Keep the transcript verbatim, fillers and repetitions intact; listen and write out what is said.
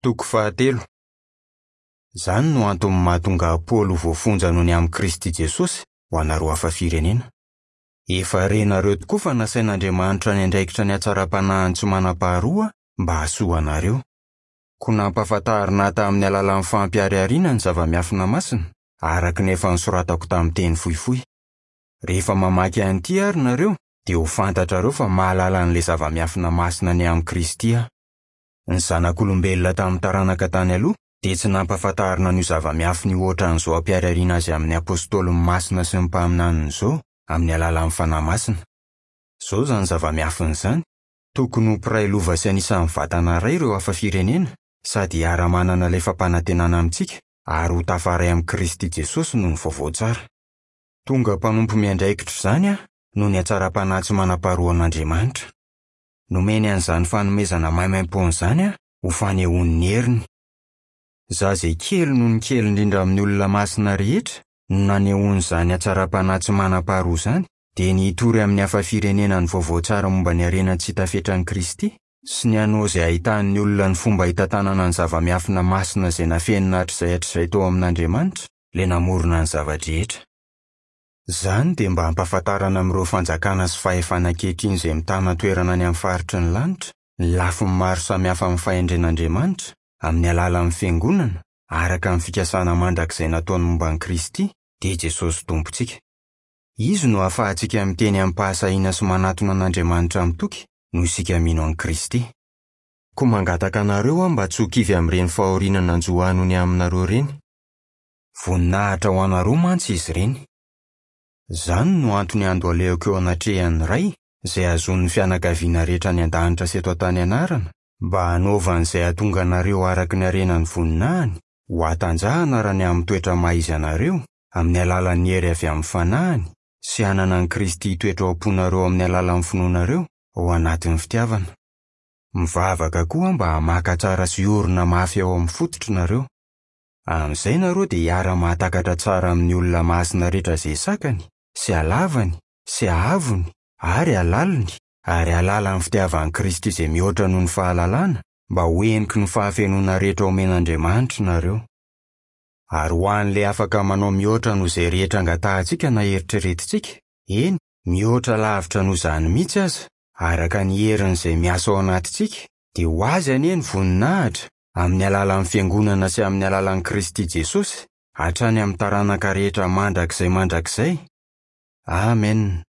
Toko fahatelo. Izany no antony mahatonga an'i Paoly ho voafonja noho ny amin'i Kristy Jesosy ho anareo hafa firenena. Efa renareo tokoa fa nasain'Andriamanitra niandraikitra ny hatsaram-panahiny tsy manam-paharoa mba hahasoa anareo. Koa nampahafantarina ahy tamin'ny alalan'ny fampiharihariana ny zava-miafina masina, araka ny efa nosoratako tamin'ny teny fohifohy. Rehefa mamaky an'ity ary nareo, dia ho fantatrareo fa mahalala an'ilay zava-miafina masina ny amin'i Kristy aho. Ny zanak'olombelona tamin'ny taranaka tany aloha dia tsy nampahafantarina an'io zava-miafina io ohatran'izao ampiharihariana azy amin'ny apôstôly masina sy ny mpaminaniny izao amin'ny alalan'ny Fanahy Masina. Izao izany zava-miafina izany, tokony ho mpiray lova sy anisan'ny vatana iray ireo hafa firenena sady hiara-manana ilay fampanantenana amintsika ary ho tafaray amin'i Kristy Jesosy noho ny vaovao tsara. Tonga mpanompo miandraikitra izany aho noho ny hatsaram-panahy tsy manam-paharoan'Andriamanitra. Nomeny an'izany fanomezana maimaimpoana izany aho ho fanehoany ny heriny. Izaho izay kely noho ny kely indrindra amin'ny olona masina rehetra no nanehoany izany hatsaram-panahy tsy manam-paharoa izany, dia ny hitory amin'ny hafa firenena ny vaovao tsara momba ny harena tsy hita fetran'i Kristy sy ny hanao izay ahitan'ny olona ny fomba hitantanana ny zava-miafina masina izay nafenina hatrizay hatrizay tao amin'Andriamanitra, ilay namorona ny zava-drehetra. Izany dia mba hampahafantarana amin'ireo fanjakana sy fahefana ankehitriny izay mitana toerana any amin'ny faritry ny lanitra, ny lafiny maro samihafa amin'ny fahendren'Andriamanitra, amin'ny alalan'ny fiangonana, araka ny fikasana mandrakizay nataony momba an'i Kristy, dia Jesosy Tompontsika. Izy no ahafahantsika miteny amim-pahasahiana sy manatona an'Andriamanitra mitoky noho isika mino an'i Kristy. Koa mangataka anareo aho mba tsy ho kivy amin'ireny fahoriana nanjo ahy noho ny aminareo ireny. Voninahitra ho anareo mantsy izy ireny. Izany no antony andohalehako eo anatrehan'ny Ray, izay hahazoan'ny fianakaviana rehetra any an-danitra sy eto an-tany anarana, mba hanaovany izay hahatonga anareo araka ny harenan'ny voninahiny, ho hatanjahana raha ny amin'ny toetra maha izy anareo, amin'ny alalan'ny hery avy amin'ny fanahiny, sy hanana an'i Kristy hitoetra ao am-ponareo amin'ny alalan'ny finoanareo, ao anatin'ny fitiavana. Mivavaka koa mba hamaka tsara sy hiorina mafy ao amin'ny fototry nareo. Amin'izay nareo dia hiara-mahatakatra tsara amin'ny olona masina rehetra izay sakany, sy halavany, sy haavony, ary halaliny, ary hahalala ny fitiavan'i Kristy izay mihoatra noho ny fahalalana, mba ho heniky ny fahafenoana rehetra omen'Andriamanitra nareo. Ary ho an'ilay afaka manao mihoatra noho izay rehetra angatahantsika na eritreretintsika, eny, mihoatra lavitra noho izany mihitsy aza, araka ny heriny izay miasa ao anatintsika, dia ho azy anie ny voninahitra, amin'ny alalan'ny fiangonana sy amin'ny alalan'i Kristy Jesosy, hatrany amin'ny taranaka rehetra mandrakizay mandrakizay. Amen.